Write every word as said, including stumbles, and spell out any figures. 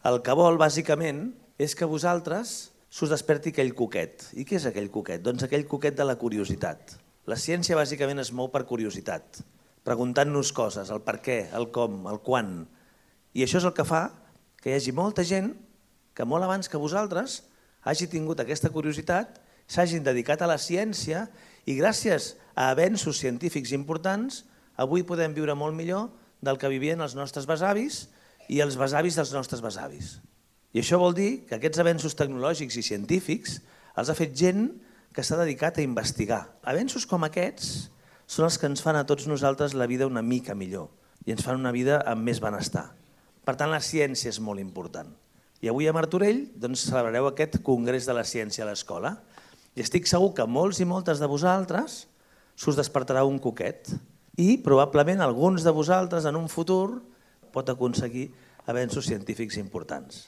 El que vol, bàsicament, és que vosaltres s'us desperti aquell coquet. I què és aquell coquet? Doncs aquell coquet de la curiositat. La ciència, bàsicament, es mou per curiositat, preguntant-nos coses, el per què, el com, el quan. I això és el que fa que hi hagi molta gent que molt abans que vosaltres hagi tingut aquesta curiositat, s'hagin dedicat a la ciència i gràcies a avenços científics importants avui podem viure molt millor del que vivien els nostres besavis i els besavis dels nostres besavis. I això vol dir que aquests avenços tecnològics i científics els ha fet gent que s'ha dedicat a investigar. Avenços com aquests són els que ens fan a tots nosaltres la vida una mica millor i ens fan una vida amb més benestar. Per tant, la ciència és molt important. I avui a Martorell doncs, celebrareu aquest Congrés de la Ciència a l'Escola i estic segur que molts i moltes de vosaltres s'us despertarà un coquet i probablement alguns de vosaltres en un futur pot aconseguir avenços científics importants.